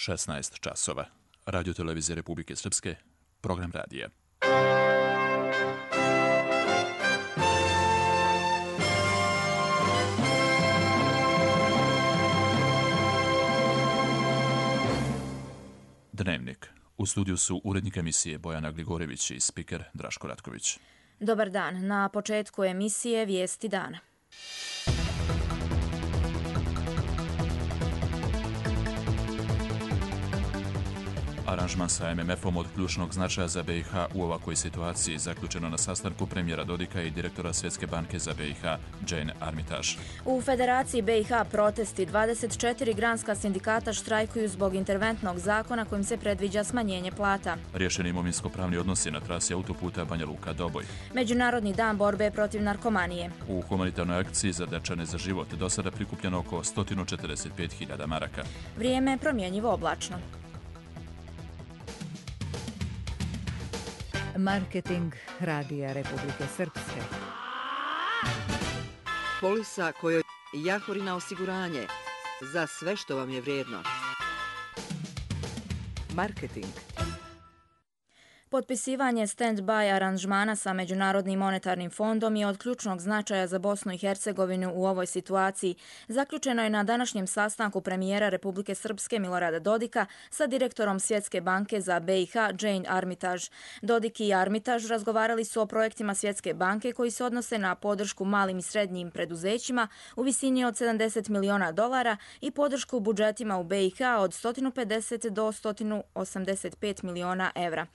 16 časova. Radio televizije Republike Srpske, program radija. Dnevnik. U studiju su urednik emisije Bojana Gligorević i spiker Draško Ratković. Dobar dan. Na početku emisije Vijesti dana. Aranžman sa MMF-om od ključnog značaja za BiH u ovakvoj situaciji zaključeno na sastanku premijera Dodika i direktora Svjetske banke za BiH Jane Armitage. U Federaciji BiH protesti 24 granska sindikata štrajkuju zbog interventnog zakona kojim se predviđa smanjenje plata. Riješeni imovinsko-pravni odnosi na trasi autoputa Banja Luka-Doboj. Međunarodni dan borbe protiv narkomanije. U humanitarnoj akciji za Dečane za život do sada prikupljeno oko 145.000 maraka. Vrijeme promjenjivo oblačno. Marketing Radija Republike Srpske. Polisa kojoj Jahorina osiguranje za sve što vam je vrijedno. Marketing. Potpisivanje stand-by aranžmana sa Međunarodnim monetarnim fondom je od ključnog značaja za Bosnu i Hercegovinu u ovoj situaciji. Zaključeno je na današnjem sastanku premijera Republike Srpske Milorada Dodika sa direktorom Svjetske banke za BiH Jane Armitage. Dodik i Armitage razgovarali su o projektima Svjetske banke koji se odnose na podršku malim i srednjim preduzećima u visini od $70 miliona i podršku budžetima u BiH od 150 do 185 miliona evra.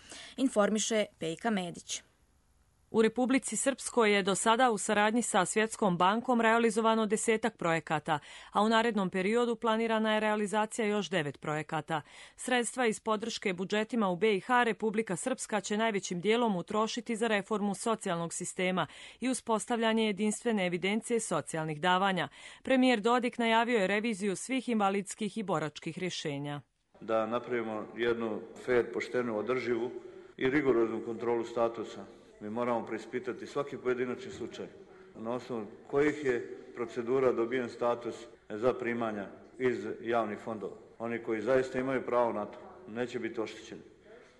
Informiše Pejka Medić. U Republici Srpskoj je do sada u saradnji sa Svjetskom bankom realizovano 10 projekata, a u narednom periodu planirana je realizacija još 9 projekata. Sredstva iz podrške budžetima u BiH Republika Srpska će najvećim dijelom utrošiti za reformu socijalnog sistema i uspostavljanje jedinstvene evidencije socijalnih davanja. Premijer Dodik najavio je reviziju svih invalidskih i boračkih rješenja. Da napravimo jednu fer, poštenu, održivu i rigoroznu kontrolu statusa. Mi moramo preispitati svaki pojedinačni slučaj. Na osnovu kojih je procedura dobijen status za primanja iz javnih fondova. Oni koji zaista imaju pravo na to neće biti oštećeni,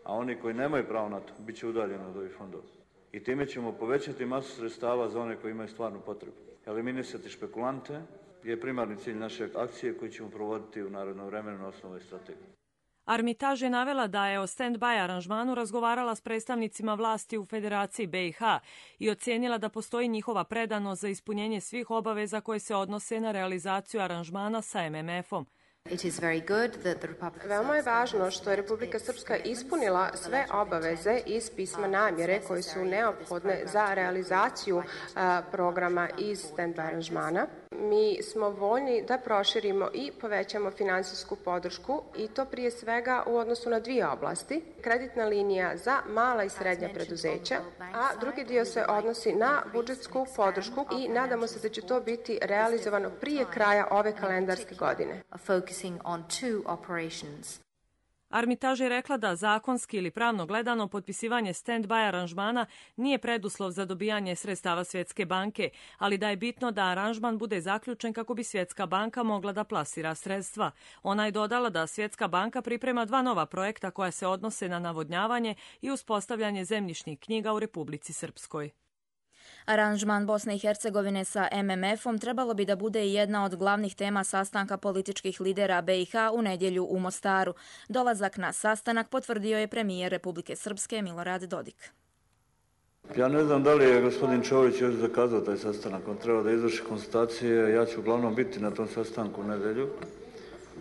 a oni koji nemaju pravo na to bit će udaljeni od ovih fondova. I time ćemo povećati masu sredstava za one koji imaju stvarnu potrebu. Eliminisati špekulante je primarni cilj naše akcije koju ćemo provoditi u narednom vremenu na osnovu ove strategije. Armitage je navela da je o stand-by aranžmanu razgovarala s predstavnicima vlasti u Federaciji BiH i ocijenila da postoji njihova predanost za ispunjenje svih obaveza koje se odnose na realizaciju aranžmana sa MMF-om. Veoma je važno što je Republika Srpska ispunila sve obaveze iz pisma namjere koje su neophodne za realizaciju programa iz stand-by aranžmana. Mi smo voljni da proširimo i povećamo finansijsku podršku i to prije svega u odnosu na dvije oblasti. Kreditna linija za mala i srednja preduzeća, a drugi dio se odnosi na budžetsku podršku i nadamo se da će to biti realizovano prije kraja ove kalendarske godine. Armitage je rekla da zakonski ili pravno gledano potpisivanje stand-by aranžmana nije preduslov za dobijanje sredstava Svjetske banke, ali da je bitno da aranžman bude zaključen kako bi Svjetska banka mogla da plasira sredstva. Ona je dodala da Svjetska banka priprema 2 nova projekta koja se odnose na navodnjavanje i uspostavljanje zemljišnih knjiga u Republici Srpskoj. Aranžman Bosne i Hercegovine sa MMF-om trebalo bi da bude jedna od glavnih tema sastanka političkih lidera BiH u nedjelju u Mostaru. Dolazak na sastanak potvrdio je premijer Republike Srpske Milorad Dodik. Ja ne znam da li je gospodin Čović još zakazao taj sastanak. On treba da izvrši konstatacije. Ja ću uglavnom biti na tom sastanku u nedjelju.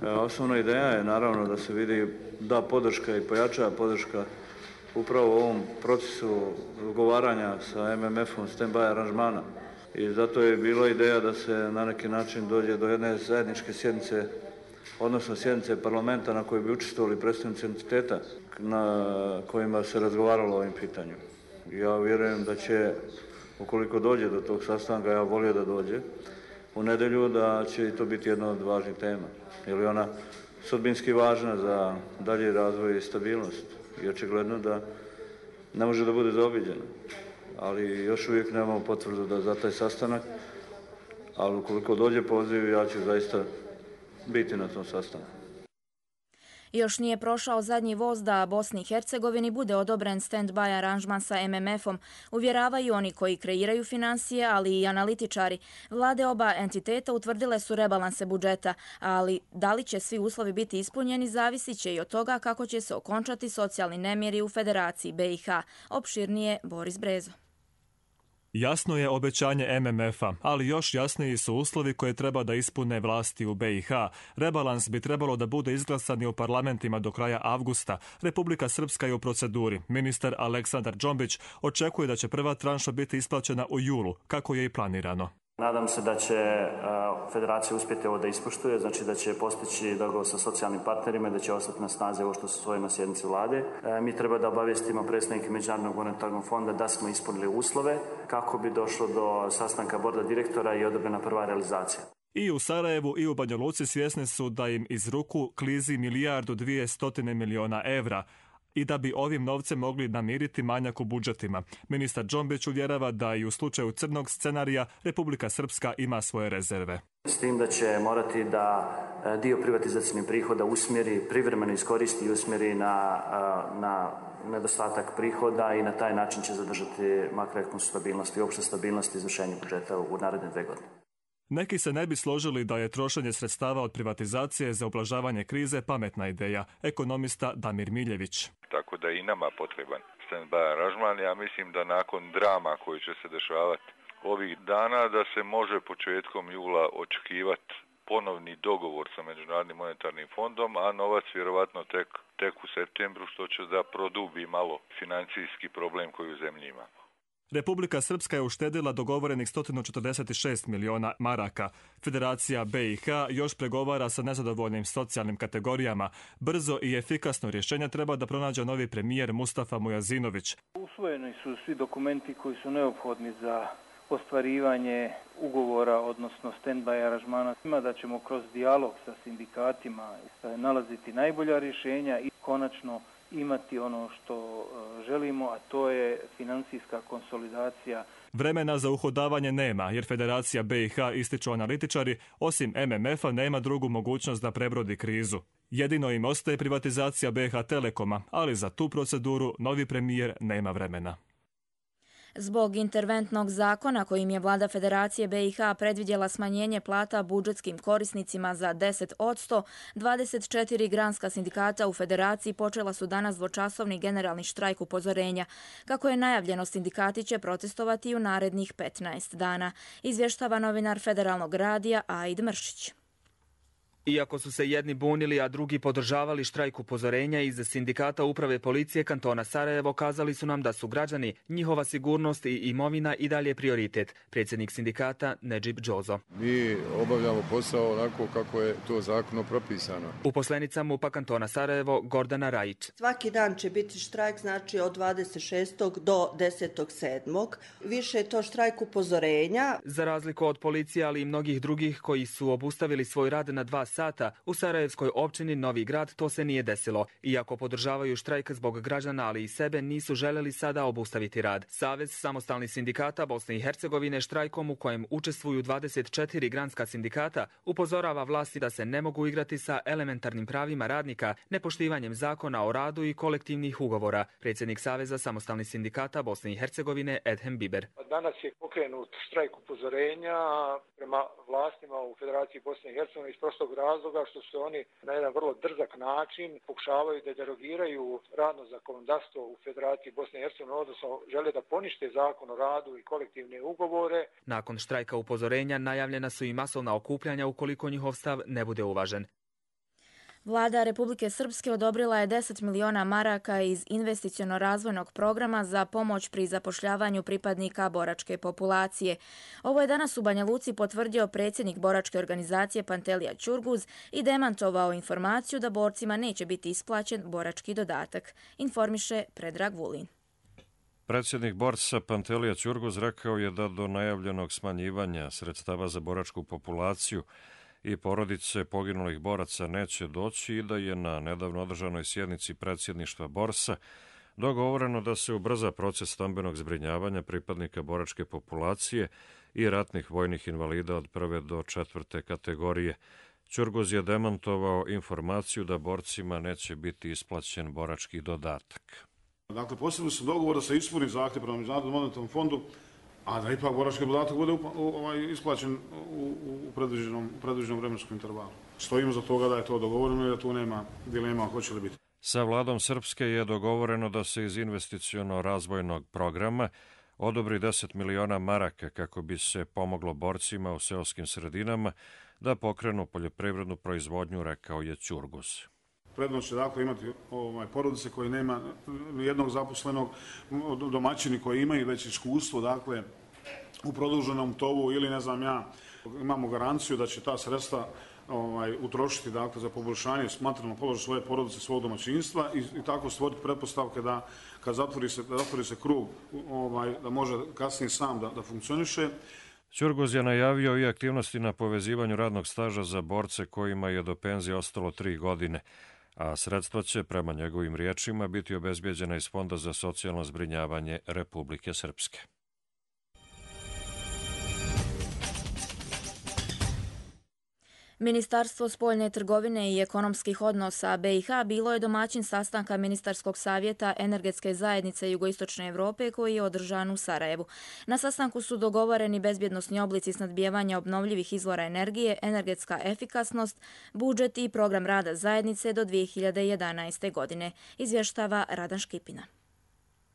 Osnovna ideja je naravno da se vidi da podrška i pojačava podrška upravo u ovom procesu ugovaranja sa MMF-om stand-by aranžmana. I zato je bila ideja da se na neki način dođe do jedne zajedničke sjednice, odnosno sjednice parlamenta na kojoj bi učestvovali predstavnici entiteta na kojima se razgovaralo o ovim pitanju. Ja vjerujem da će, ukoliko dođe do tog sastanka, ja volio da dođe u nedjelju, da će i to biti jedna od važnih tema. Jer je ona sudbinski važna za dalji razvoj i stabilnost. I očigledno da ne može da bude zaobiđena. Ali još uvijek nemamo potvrdu da za taj sastanak, ali ukoliko dođe poziv, ja ću zaista biti na tom sastanku. Još nije prošao zadnji voz da Bosni i Hercegovini bude odobren stand-by aranžman sa MMF-om, uvjeravaju oni koji kreiraju financije, ali i analitičari. Vlade oba entiteta utvrdile su rebalanse budžeta, ali da li će svi uslovi biti ispunjeni zavisit će i od toga kako će se okončati socijalni nemiri u Federaciji BiH. Opširnije Boris Brezo. Jasno je obećanje MMF-a, ali još jasniji su uslovi koje treba da ispune vlasti u BiH. Rebalans bi trebalo da bude izglasan i u parlamentima do kraja avgusta. Republika Srpska je u proceduri. Ministar Aleksandar Džombić očekuje da će prva tranša biti isplaćena u julu, kako je i planirano. Nadam se da će federacija uspjeti ovo da ispoštuje, znači da će postići dogovor sa socijalnim partnerima i da će ostati na snazi ovo što se usvoji na sjednici vlade. Mi treba da obavijestimo predstavnike Međunarodnog monetarnog fonda da smo ispunili uslove kako bi došlo do sastanka borda direktora i odobrena prva realizacija. I u Sarajevu i u Banja Luci svjesni su da im iz ruku klizi 1,2 milijarde evra i da bi ovim novcem mogli namiriti manjak u budžetima. Ministar Džombić uvjerava da i u slučaju crnog scenarija Republika Srpska ima svoje rezerve. S tim da će morati da dio privatizacijnih prihoda usmjeri, privremeno iskoristi i usmjeri na nedostatak prihoda i na taj način će zadržati makroekonomsku stabilnost i opću stabilnost izvršenja budžeta u naredne 2 godine. Neki se ne bi složili da je trošenje sredstava od privatizacije za ublažavanje krize pametna ideja. Ekonomista Damir Miljević. Tako da je i nama potreban stand-by aranžman. Ja mislim da nakon drama koji će se dešavati ovih dana da se može početkom jula očekivati ponovni dogovor sa Međunarodnim monetarnim fondom, a novac vjerovatno tek u septembru, što će da produbi malo financijski problem koji u zemlji ima. Republika Srpska je uštedila dogovorenih 146 miliona maraka. Federacija BiH još pregovara sa nezadovoljnim socijalnim kategorijama. Brzo i efikasno rješenje treba da pronađe novi premijer Mustafa Mujazinović. Usvojeni su svi dokumenti koji su neophodni za ostvarivanje ugovora, odnosno stand-by aranžmana. Da ćemo kroz dijalog sa sindikatima nalaziti najbolja rješenja i konačno imati ono što želimo, a to je financijska konsolidacija. Vremena za uhodavanje nema, jer Federacija BiH, ističu analitičari, osim MMF-a nema drugu mogućnost da prebrodi krizu. Jedino im ostaje privatizacija BiH Telekoma, ali za tu proceduru novi premijer nema vremena. Zbog interventnog zakona kojim je vlada Federacije BiH predvidjela smanjenje plata budžetskim korisnicima za 10%, 24 granska sindikata u Federaciji počela su danas dvočasovni generalni štrajk upozorenja. Kako je najavljeno, sindikati će protestovati u narednih 15 dana, izvještava novinar Federalnog radija Aid Mršić. Iako su se jedni bunili, a drugi podržavali štrajk upozorenja, iz sindikata uprave policije kantona Sarajevo kazali su nam da su građani, njihova sigurnost i imovina i dalje prioritet. Predsjednik sindikata Nedžib Džozo. Mi obavljamo posao onako kako je to zakonom propisano. Uposlenica MUP-a kantona Sarajevo Gordana Rajić. Svaki dan će biti štrajk, znači od 26. do 10.7. Više je to štrajk upozorenja. Za razliku od policije, ali i mnogih drugih koji su obustavili svoj rad na 2 sata, u Sarajevskoj općini Novi Grad to se nije desilo. Iako podržavaju štrajk zbog građana, ali i sebe, nisu željeli sada obustaviti rad. Savez samostalnih sindikata Bosne i Hercegovine štrajkom u kojem učestvuju 24 granska sindikata upozorava vlasti da se ne mogu igrati sa elementarnim pravima radnika, nepoštivanjem zakona o radu i kolektivnih ugovora. Predsjednik Saveza samostalnih sindikata Bosne i Hercegovine Edhem Biber. Danas je pokrenut štrajk upozorenja prema vlastima u Federaciji Bosne i Hercegovine iz prostog razloga što se oni na jedan vrlo drzak način pokušavaju da derogiraju radno zakonodavstvo u Federaciji Bosne i Hercegovine, odnosno žele da ponište zakon o radu i kolektivne ugovore. Nakon štrajka upozorenja najavljena su i masovna okupljanja ukoliko njihov stav ne bude uvažen. Vlada Republike Srpske odobrila je 10 miliona maraka iz investiciono-razvojnog programa za pomoć pri zapošljavanju pripadnika boračke populacije. Ovo je danas u Banja Luci potvrdio predsjednik boračke organizacije Pantelija Ćurguz i demantovao informaciju da borcima neće biti isplaćen borački dodatak, informiše Predrag Vulin. Predsjednik borca Pantelija Ćurguz rekao je da do najavljenog smanjivanja sredstava za boračku populaciju i porodice poginulih boraca neće doći i da je na nedavno održanoj sjednici predsjedništva borsa dogovoreno da se ubrza proces stambenog zbrinjavanja pripadnika boračke populacije i ratnih vojnih invalida od 1. do 4. kategorije. Ćurguz je demantovao informaciju da borcima neće biti isplaćen borački dodatak. Dakle, posebno se dogovor da se ispuni zahtjev prema Međunarodnom monetarnom fondu, a da ipak borački dodatak bude isplaćen u predviđenom vremenskom intervalu. Stojimo za toga da je to dogovoreno i da tu nema dilema hoće li biti. Sa vladom Srpske je dogovoreno da se iz investiciono-razvojnog programa odobri 10 miliona maraka kako bi se pomoglo borcima u seoskim sredinama da pokrenu poljoprivrednu proizvodnju, rekao je Ćurguz. Prednost će dakle imati porodice koji nema nijednog zaposlenog, domaćini koji imaju već iskustvo dakle u produženom tovu ili ne znam ja, imamo garanciju da će ta sredstva utrošiti dakle za poboljšanje materijalnog položaja svoje porodice, svog domaćinstva i tako stvoriti pretpostavke da kad zatvori se krug da može kasnije sam da funkcioniše. Ćurguz je najavio i aktivnosti na povezivanju radnog staža za borce kojima je do penzije ostalo 3 godine, a sredstva će, prema njegovim riječima, biti obezbjeđena iz Fonda za socijalno zbrinjavanje Republike Srpske. Ministarstvo spoljne trgovine i ekonomskih odnosa BiH bilo je domaćin sastanka Ministarskog savjeta Energetske zajednice Jugoistočne Evrope koji je održan u Sarajevu. Na sastanku su dogovoreni bezbjednosni oblici snabdijevanja obnovljivih izvora energije, energetska efikasnost, budžet i program rada zajednice do 2011. godine, izvještava Radan Škipina.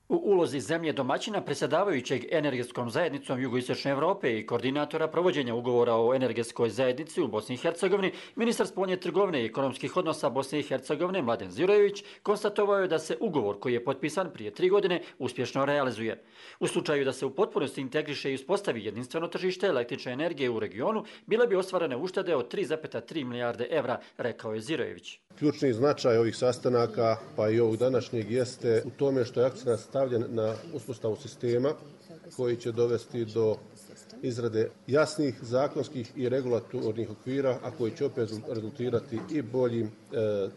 U ulozi zemlje domaćina predsjedavajućeg energetskom zajednicom Jugoistočne Evrope i koordinatora provođenja ugovora o energetskoj zajednici u Bosni i Hercegovini, ministar spoljne trgovine i ekonomskih odnosa Bosne i Hercegovine Mladen Zirojević konstatovao je da se ugovor koji je potpisan prije 3 godine uspješno realizuje. U slučaju da se u potpunosti integriše i uspostavi jedinstveno tržište električne energije u regionu, bile bi ostvarene uštede od 3,3 milijarde evra, rekao je Zirojević. Ključni značaj ovih sastanaka, pa i ovog današnjeg, jeste u tome što je akcenat stavljen na uspostavu sistema koji će dovesti do izrade jasnih zakonskih i regulatornih okvira, a koji će opet rezultirati i boljim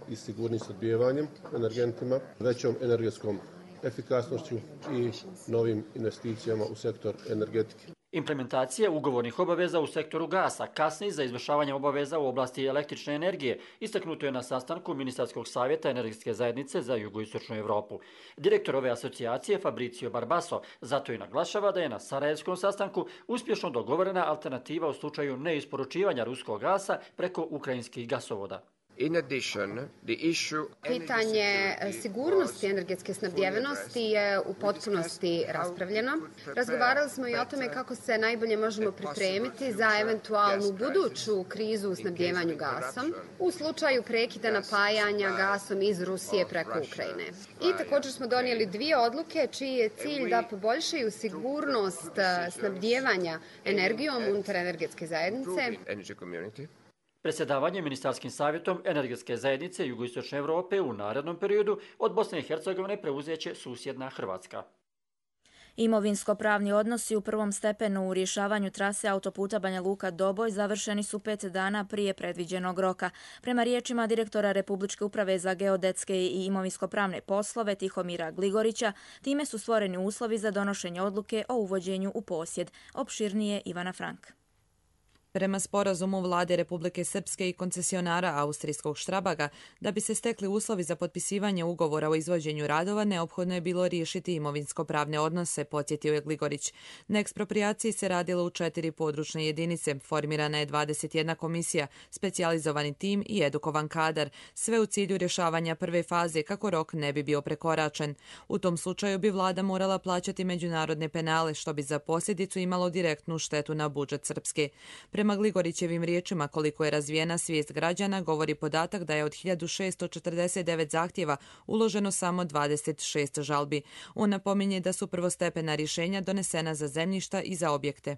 i sigurnim snabdijevanjem energentima, većom energetskom efikasnošću i novim investicijama u sektor energetike. Implementacija ugovornih obaveza u sektoru gasa kasni za izvršavanje obaveza u oblasti električne energije, istaknuto je na sastanku Ministarskog savjeta Energetske zajednice za Jugoistočnu Evropu. Direktor ove asocijacije Fabricio Barbaso zato i naglašava da je na sarajevskom sastanku uspješno dogovorena alternativa u slučaju neisporučivanja ruskog gasa preko ukrajinskih gasovoda. Pitanje sigurnosti energetske snabdjevenosti je u potpunosti raspravljeno. Razgovarali smo i o tome kako se najbolje možemo pripremiti za eventualnu buduću krizu u snabdjevanju gasom u slučaju prekida napajanja gasom iz Rusije preko Ukrajine. I također smo donijeli 2 odluke čiji je cilj da poboljšaju sigurnost snabdjevanja energijom unutar energetske zajednice. Predsjedavanje Ministarskim savjetom Energetske zajednice Jugoistočne Evrope u narednom periodu od Bosne i Hercegovine preuzeće susjedna Hrvatska. Imovinsko-pravni odnosi u prvom stepenu u rješavanju trase autoputa Banja Luka-Doboj završeni su 5 dana prije predviđenog roka. Prema riječima direktora Republičke uprave za geodetske i imovinsko-pravne poslove Tihomira Gligorića, time su stvoreni uslovi za donošenje odluke o uvođenju u posjed. Opširnije Ivana Frank. Prema sporazumu vlade Republike Srpske i koncesionara austrijskog Štrabaga, da bi se stekli uslovi za potpisivanje ugovora o izvođenju radova, neophodno je bilo riješiti imovinsko-pravne odnose, podsjetio je Gligorić. Na eksproprijaciji se radilo u 4 područne jedinice, formirana je 21 komisija, specijalizovani tim i edukovan kadar, sve u cilju rješavanja prve faze kako rok ne bi bio prekoračen. U tom slučaju bi vlada morala plaćati međunarodne penale, što bi za posljedicu imalo direktnu štetu na budžet Srpske. Prema Gligorićevim riječima, koliko je razvijena svijest građana, govori podatak da je od 1649 zahtjeva uloženo samo 26 žalbi. On napominje da su prvostepena rješenja donesena za zemljišta i za objekte.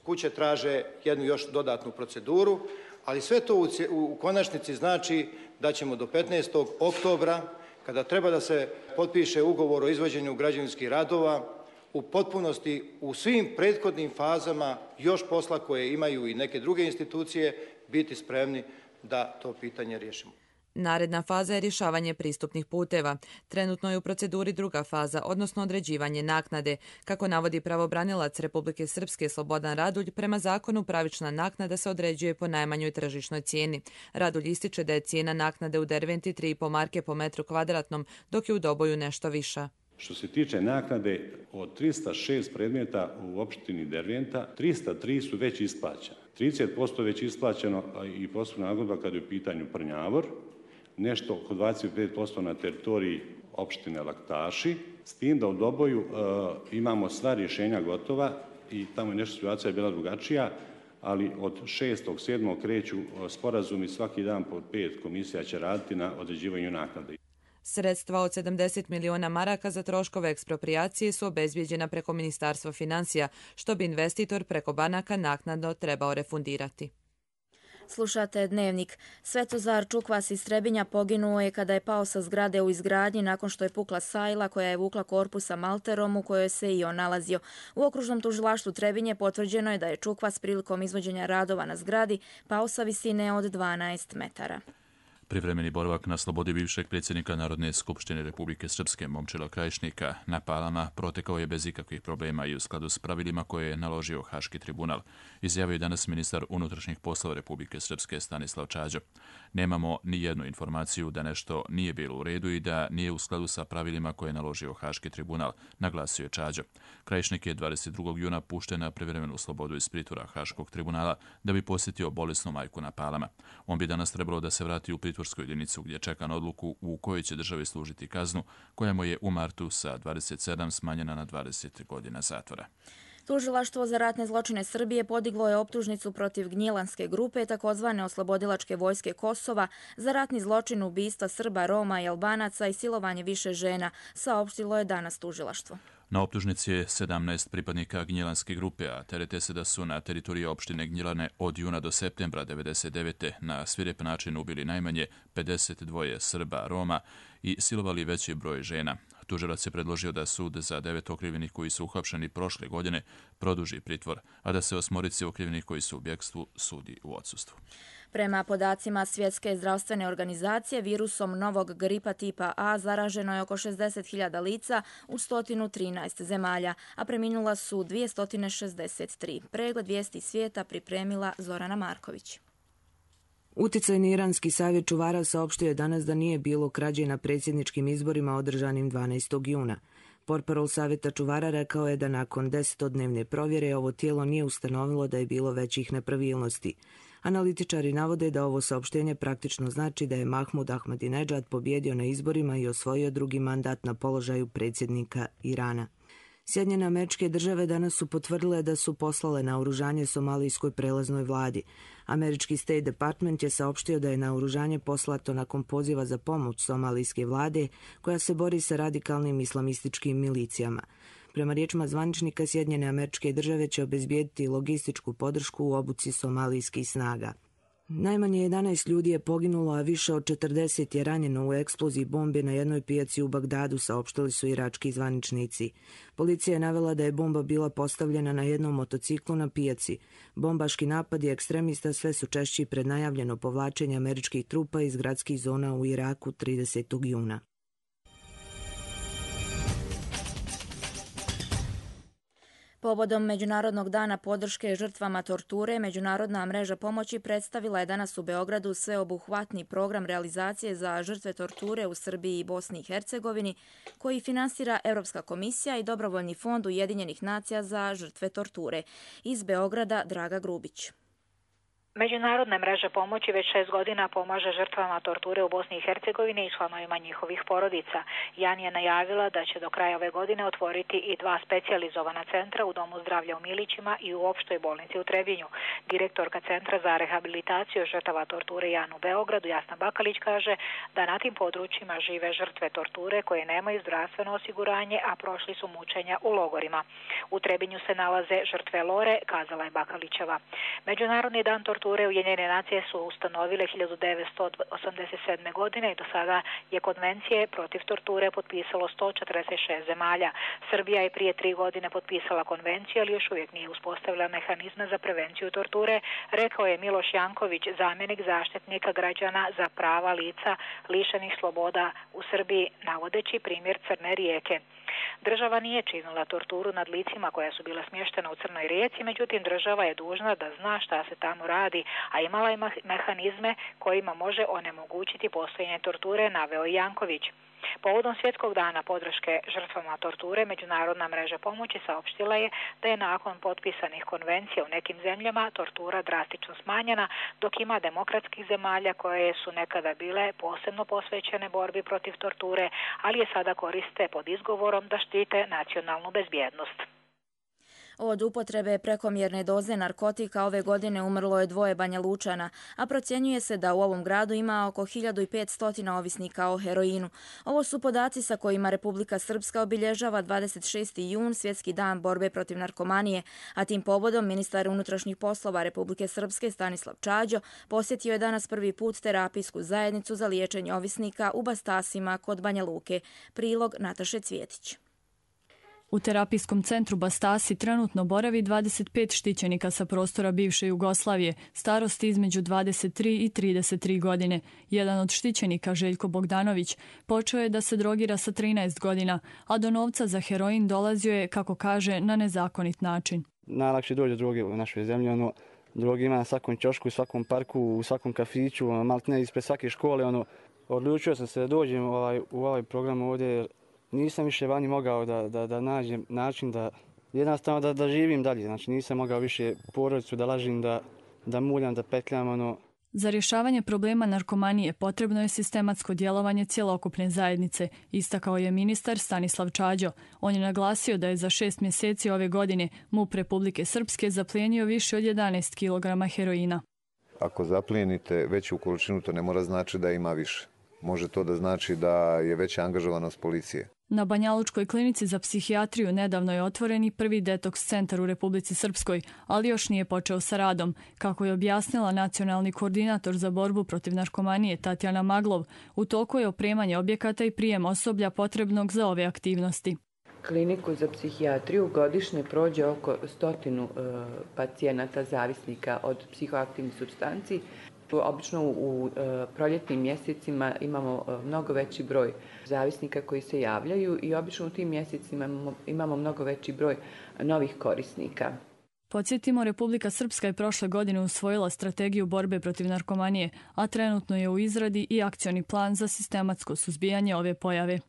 Kuće traže jednu još dodatnu proceduru, ali sve to u konačnici znači da ćemo do 15. oktobra, kada treba da se potpiše ugovor o izvođenju građevinskih radova, u potpunosti u svim prethodnim fazama još posla koje imaju i neke druge institucije biti spremni da to pitanje riješimo. Naredna faza je rješavanje pristupnih puteva. Trenutno je u proceduri druga faza, odnosno određivanje naknade. Kako navodi pravobranilac Republike Srpske Slobodan Radulj, prema zakonu pravična naknada se određuje po najmanjoj tržišnoj cijeni. Radulj ističe da je cijena naknade u Derventi 3,5 marke po metru kvadratnom, dok je u Doboju nešto viša. Što se tiče naknade, od 306 predmeta u opštini Derventa, 303 su već isplaćene. 30% već isplaćeno i posebna nagodba kada je u pitanju Prnjavor, nešto oko 25% na teritoriji opštine Laktaši, s tim da u Doboju imamo sva rješenja gotova i tamo je nešto situacija bila drugačija, ali od 6.7. kreću sporazumi, svaki dan po 5 komisija će raditi na određivanju naknade. Sredstva od 70 miliona maraka za troškove eksproprijacije su obezbijeđena preko Ministarstva financija, što bi investitor preko banaka naknadno trebao refundirati. Slušate Dnevnik. Svetozar Čukvas iz Trebinja poginuo je kada je pao sa zgrade u izgradnji nakon što je pukla sajla koja je vukla korpus sa malterom u kojoj se i on nalazio. U okružnom tužilaštvu Trebinje potvrđeno je da je Čukvas prilikom izvođenja radova na zgradi pao sa visine od 12 metara. Privremeni boravak na slobodi bivšeg predsjednika Narodne skupštine Republike Srpske Momčila Krajišnika na Palama protekao je bez ikakvih problema i u skladu s pravilima koje je naložio Haški tribunal, izjavio je danas ministar unutrašnjih poslova Republike Srpske Stanislav Čađo. Nemamo ni jednu informaciju da nešto nije bilo u redu i da nije u skladu sa pravilima koje je naložio Haški tribunal, naglasio je Čađo. Krajišnik je 22. juna pušten na privremenu slobodu iz pritvora Haškog tribunala da bi posjetio bolesnu majku na Palama. On bi danas trebalo da se vrati u pritvorsku jedinicu gdje čeka na odluku u kojoj će državi služiti kaznu, koja mu je u martu sa 27 smanjena na 20 godina zatvora. Tužilaštvo za ratne zločine Srbije podiglo je optužnicu protiv Gnjilanske grupe, takozvane oslobodilačke vojske Kosova, za ratni zločin ubistva Srba, Roma i Albanaca i silovanje više žena, saopštilo je danas tužilaštvo. Na optužnici je 17 pripadnika Gnjilanske grupe, a terete se da su na teritoriji opštine Gnjilane od juna do septembra 1999. na svirep način ubili najmanje 52 Srba, Roma i silovali veći broj žena. Tužilac je predložio da sud za 9 okrivljenih koji su uhapšeni prošle godine produži pritvor, a da se 8 okrivljenih koji su u bjegstvu sudi u odsustvu. Prema podacima Svjetske zdravstvene organizacije, virusom novog gripa tipa A zaraženo je oko 60.000 lica u 113 zemalja, a preminula su 263. Pregled vijesti svijeta pripremila Zorana Marković. Uticajni iranski savjet čuvara saopštio je danas da nije bilo krađe na predsjedničkim izborima održanim 12. juna. Portparol savjeta čuvara rekao je da nakon 10-dnevne provjere ovo tijelo nije ustanovilo da je bilo većih nepravilnosti. Analitičari navode da ovo saopštenje praktično znači da je Mahmud Ahmadinejad pobjedio na izborima i osvojio drugi mandat na položaju predsjednika Irana. Sjedinjene Američke Države danas su potvrdile da su poslale naoružanje somalijskoj prelaznoj vladi. Američki State Department je saopštio da je naoružanje poslato nakon poziva za pomoć somalijske vlade koja se bori sa radikalnim islamističkim milicijama. Prema riječima zvaničnika, Sjedinjene Američke Države će obezbijediti logističku podršku u obuci somalijskih snaga. Najmanje 11 ljudi je poginulo, a više od 40 je ranjeno u eksploziji bombe na jednoj pijaci u Bagdadu, saopštili su irački zvaničnici. Policija je navela da je bomba bila postavljena na jednom motociklu na pijaci. Bombaški napadi ekstremista sve su češći pred najavljeno povlačenje američkih trupa iz gradskih zona u Iraku 30. juna. Povodom Međunarodnog dana podrške žrtvama torture, Međunarodna mreža pomoći predstavila je danas u Beogradu sveobuhvatni program realizacije za žrtve torture u Srbiji i Bosni i Hercegovini, koji finansira Europska komisija i Dobrovoljni fond Ujedinjenih nacija za žrtve torture. Iz Beograda Draga Grubić. Međunarodna mreža pomoći već 6 godina pomaže žrtvama torture u Bosni i Hercegovini i članovima njihovih porodica. Jan je najavila da će do kraja ove godine otvoriti i 2 specijalizovana centra u Domu zdravlja u Milićima i u Opštoj bolnici u Trebinju. Direktorka Centra za rehabilitaciju žrtava torture Jan u Beogradu, Jasna Bakalić, kaže da na tim područjima žive žrtve torture koje nemaju zdravstveno osiguranje, a prošli su mučenja u logorima. U Trebinju se nalaze žrtve Lore, kazala je Bakalićeva. Međunarodni dan torture torture Ujedinjene nacije su ustanovile 1987. godine i do sada je konvencije protiv torture potpisalo 146 zemalja. Srbija je prije 3 godine potpisala konvenciju, ali još uvijek nije uspostavila mehanizme za prevenciju torture, rekao je Miloš Janković, zamjenik zaštitnika građana za prava lica lišenih sloboda u Srbiji, navodeći primjer Crne Rijeke. Država nije činila torturu nad licima koja su bila smještena u Crnoj Rijeci, međutim država je dužna da zna šta se tamo radi, a imala je mehanizme kojima može onemogućiti postojanje torture, naveo Janković. Povodom Svjetskog dana podrške žrtvama torture, Međunarodna mreža pomoći saopštila je da je nakon potpisanih konvencija u nekim zemljama tortura drastično smanjena, dok ima demokratskih zemalja koje su nekada bile posebno posvećene borbi protiv torture, ali je sada koriste pod izgovorom da štite nacionalnu bezbjednost. Od upotrebe prekomjerne doze narkotika ove godine umrlo je 2 Banjalučana, a procjenjuje se da u ovom gradu ima oko 1500 ovisnika o heroinu. Ovo su podaci sa kojima Republika Srpska obilježava 26. jun, Svjetski dan borbe protiv narkomanije, a tim povodom ministar unutrašnjih poslova Republike Srpske Stanislav Čađo posjetio je danas prvi put terapijsku zajednicu za liječenje ovisnika u Bastasima kod Banja Luke. Prilog Nataše Cvjetić. U terapijskom centru Bastasi trenutno boravi 25 štićenika sa prostora bivše Jugoslavije, starosti između 23 i 33 godine. Jedan od štićenika, Željko Bogdanović, počeo je da se drogira sa 13 godina, a do novca za heroin dolazio je, kako kaže, na nezakonit način. Najlakše dođe droge u našoj zemlji, droge ima na svakom ćošku, u svakom parku, u svakom kafiću, maltene ispred svake škole. Odlučio sam se da dođem u ovaj program ovdje. Nisam više vani mogao da nađem način da jednostavno da živim dalje. Znači nisam mogao više porodicu da lažim, da muljam, da petljam. Za rješavanje problema narkomanije potrebno je sistematsko djelovanje cjelokupne zajednice, istakao je ministar Stanislav Čađo. On je naglasio da je za 6 mjeseci ove godine MUP Republike Srpske zaplijenio više od 11 kg heroina. Ako zaplijenite veću količinu, to ne mora znači da ima više. Može to da znači da je veća angažovanost policije. Na Banjalučkoj klinici za psihijatriju nedavno je otvoren i prvi detoks centar u Republici Srpskoj, ali još nije počeo sa radom. Kako je objasnila nacionalni koordinator za borbu protiv narkomanije Tatjana Maglov, u toku je opremanje objekata i prijem osoblja potrebnog za ove aktivnosti. Kliniku za psihijatriju godišnje prođe oko 100 pacijenata zavisnika od psihoaktivnih supstanci. Obično u proljetnim mjesecima imamo mnogo veći broj zavisnika koji se javljaju i obično u tim mjesecima imamo mnogo veći broj novih korisnika. Podsjetimo, Republika Srpska je prošle godine usvojila strategiju borbe protiv narkomanije, a trenutno je u izradi i akcioni plan za sistematsko suzbijanje ove pojave.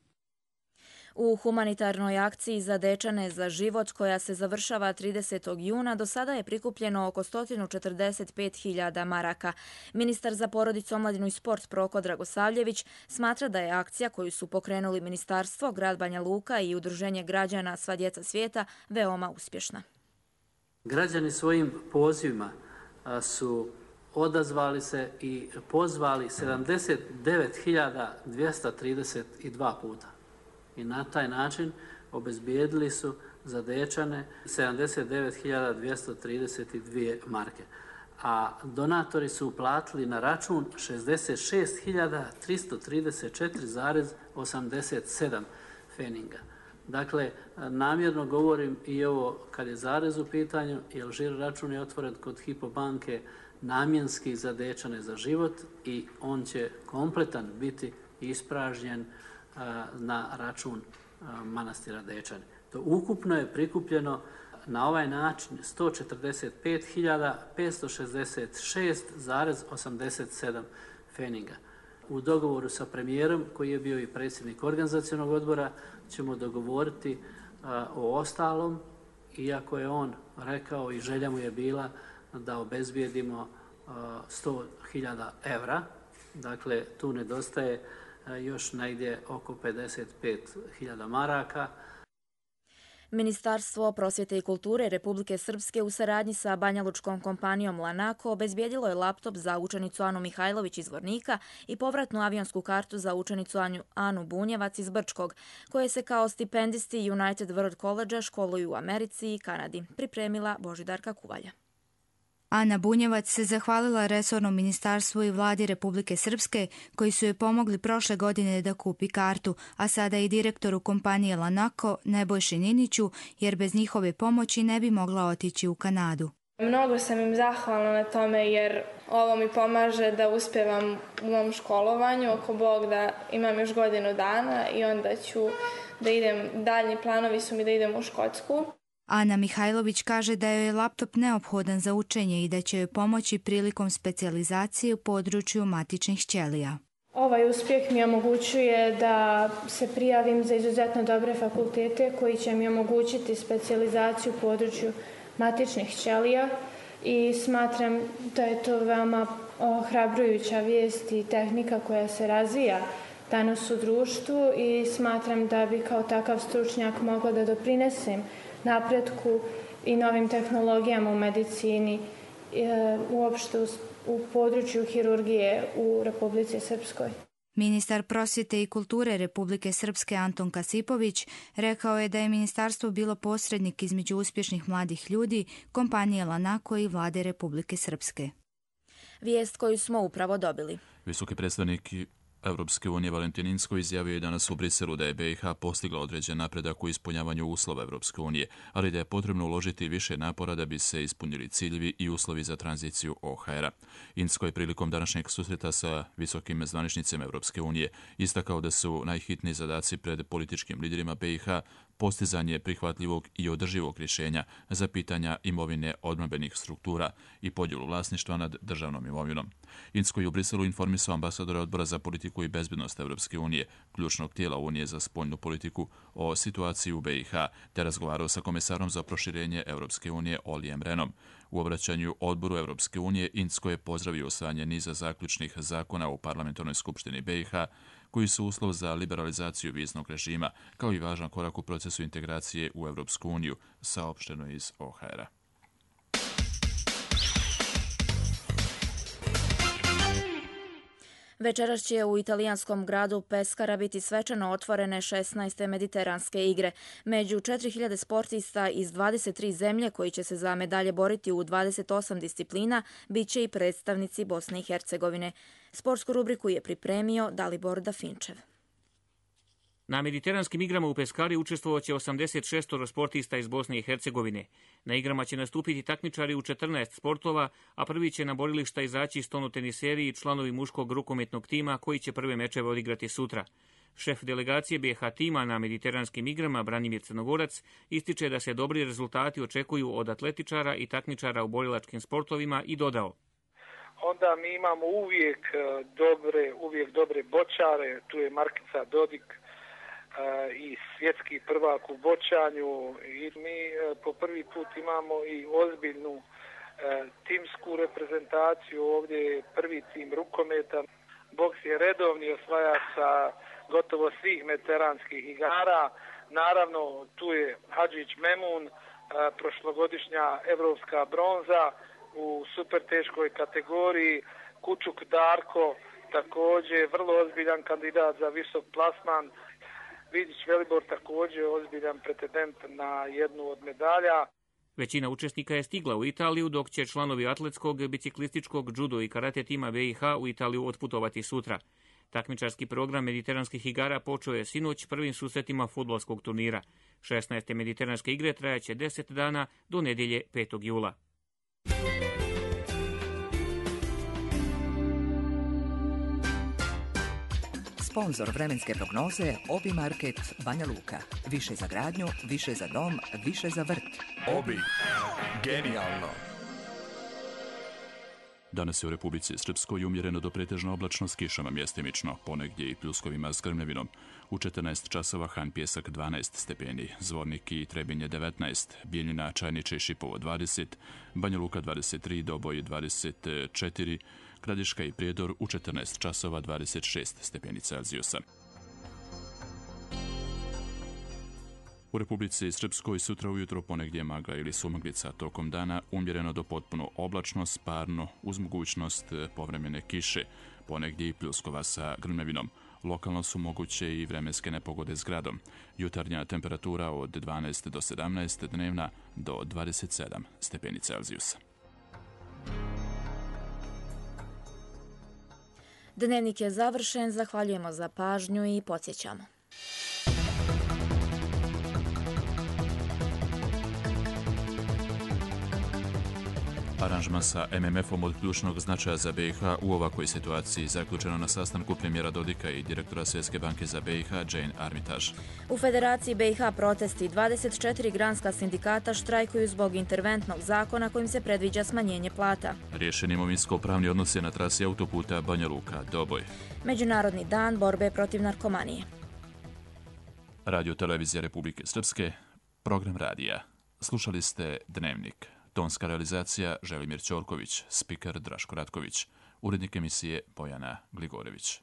U humanitarnoj akciji za dečane za život, koja se završava 30. juna, do sada je prikupljeno oko 145.000 maraka. Ministar za porodicu, omladinu i sport Proko Dragosavljević smatra da je akcija koju su pokrenuli Ministarstvo, grad Banja Luka i Udruženje građana Sva djeca svijeta veoma uspješna. Građani svojim pozivima su odazvali se i pozvali 79.232 puta. I na taj način obezbijedili su za dečane 79.232 marke. A donatori su uplatili na račun 66.334,87 feninga. Dakle, namjerno govorim i ovo kad je zarez u pitanju, jer žiro račun je otvoren kod Hypo banke namjenski za dečane za život i on će kompletan biti ispražnjen na račun manastira Dečani. To ukupno je prikupljeno na ovaj način 145.566,87 feninga. U dogovoru sa premijerom, koji je bio i predsjednik organizacionog odbora, ćemo dogovoriti o ostalom, iako je on rekao i želja mu je bila da obezbijedimo 100.000 evra. Dakle, tu nedostaje još negdje oko 55.000 maraka. Ministarstvo prosvjete i kulture Republike Srpske u saradnji sa banjalučkom kompanijom Lanako obezbijedilo je laptop za učenicu Anu Mihajlović iz Vornika i povratnu avionsku kartu za učenicu Anu Bunjevac iz Brčkog, koje se kao stipendisti United World College školuju u Americi i Kanadi, pripremila Božidarka Kuvalja. Ana Bunjevac se zahvalila resornom ministarstvu i vladi Republike Srpske koji su joj pomogli prošle godine da kupi kartu, a sada i direktoru kompanije Lanako Nebojši Niniću, jer bez njihove pomoći ne bi mogla otići u Kanadu. Mnogo sam im zahvalna na tome jer ovo mi pomaže da uspevam u mom školovanju, ako Bog da imam još godinu dana i onda ću da idem, daljnji planovi su mi da idem u Škotsku. Ana Mihajlović kaže da joj je laptop neophodan za učenje i da će joj pomoći prilikom specijalizacije u području matičnih ćelija. Ovaj uspjeh mi omogućuje da se prijavim za izuzetno dobre fakultete koji će mi omogućiti specijalizaciju u području matičnih ćelija i smatram da je to veoma ohrabrujuća vijest i tehnika koja se razvija danas u društvu i smatram da bi kao takav stručnjak mogla da doprinesem napretku i novim tehnologijama u medicini, uopšte u području hirurgije u Republici Srpskoj. Ministar prosvjete i kulture Republike Srpske Anton Kasipović rekao je da je ministarstvo bilo posrednik između uspješnih mladih ljudi, kompanije Lanako i vlade Republike Srpske. Vijest koju smo upravo dobili. Visoki predstavnik Europske unije Valentin Inzko izjavio je danas u Briselu da je BiH postigla određen napredak u ispunjavanju uslova Europske unije, ali da je potrebno uložiti više napora da bi se ispunili ciljevi i uslovi za tranziciju OHR-a. Inzko je prilikom današnjeg susreta sa visokim zvaničnicima Europske unije istakao da su najhitniji zadaci pred političkim liderima BiH postizanje prihvatljivog i održivog rješenja za pitanja imovine odbrambenih struktura i podjelu vlasništva nad državnom imovinom. Inzko je u Briselu informisao ambasadora Odbora za politiku i bezbednost Europske unije, ključnog tijela Unije za spoljnu politiku, o situaciji u BiH, te razgovarao sa komesarom za proširenje Europske unije Olijem Renom. U obraćanju Odboru Europske unije Inzko je pozdravio usvajanje niza zaključnih zakona u Parlamentarnoj skupštini BiH, koji su uslov za liberalizaciju viznog režima, kao i važan korak u procesu integracije u Europsku uniju, saopšteno iz OHR-a. Večeras će u italijanskom gradu Peskara biti svečano otvorene 16. mediteranske igre. Među 4000 sportista iz 23 zemlje koji će se za medalje boriti u 28 disciplina bit će i predstavnici Bosne i Hercegovine. Sportsku rubriku je pripremio Dalibor Dafinčev. Na mediteranskim igrama u Peskari učestvovaće 86 sportista iz Bosne i Hercegovine. Na igrama će nastupiti takmičari u 14 sportova, a prvi će na borilišta izaći stonoteniseri i članovi muškog rukometnog tima koji će prve mečeve odigrati sutra. Šef delegacije BiH tima na mediteranskim igrama Branimir Crnogorac ističe da se dobri rezultati očekuju od atletičara i takmičara u borilačkim sportovima i dodao: Onda mi imamo uvijek dobre bočare, tu je Markica Dodik i svjetski prvak u bočanju i mi po prvi put imamo i ozbiljnu timsku reprezentaciju, ovdje je prvi tim rukometa. Boks je redovni osvajač sa gotovo svih mediteranskih igara. Naravno, tu je Hadžić Memun, prošlogodišnja evropska bronza u super teškoj kategoriji, Kučuk Darko, također vrlo ozbiljan kandidat za visok plasman, Vidić Velibor također ozbiljan pretendent na jednu od medalja. Većina učesnika je stigla u Italiju, dok će članovi atletskog, biciklističkog, judo i karate tima BiH u Italiju otputovati sutra. Takmičarski program mediteranskih igara počeo je sinoć prvim susretima fudbalskog turnira. 16. mediteranske igre trajaće 10 dana do nedjelje 5. jula. Sponzor vremenske prognoze Obi Market Banja Luka. Više za gradnju, više za dom, više za vrt. Obi. Genijalno. Danas je u Republici Srpskoj umjereno do pretežno oblačno s kišama mjestimično, ponegdje i pljuskovima s grmljavinom. U 14 časova Han Pjesak 12 stepeni, Zvornik i Trebinje 19, Bijeljina, Čajniče i Šipovo 20, Banja Luka 23, Doboj 24, Gradiška i Prijedor u 14 časova 26 stepeni Celzijusa. U Republici Srpskoj sutra ujutro ponegdje magla ili sumaglica, tokom dana umjereno do potpuno oblačno, sparno, uz mogućnost povremene kiše, ponegdje i pljuskova sa grmljavinom. Lokalno su moguće i vremenske nepogode s gradom. Jutarnja temperatura od 12 do 17, dnevna do 27 stepeni Celzijusa. Dnevnik je završen, zahvaljujemo za pažnju i podsjećamo. Aranžman sa MMF-om od ključnog značaja za BiH u ovakvoj situaciji zaključeno na sastanku premijera Dodika i direktora Svjetske banke za BiH Jane Armitage. U Federaciji BiH protesti 24 granska sindikata štrajkuju zbog interventnog zakona kojim se predviđa smanjenje plata. Riješen imovinsko-pravni odnos je na trasi autoputa Banja Luka Doboj. Međunarodni dan borbe protiv narkomanije. Radio Televizija Republike Srpske, program radija. Slušali ste Dnevnik. Tonska realizacija Želimir Ćorković, spiker Draško Ratković, urednik emisije Bojana Gligorević.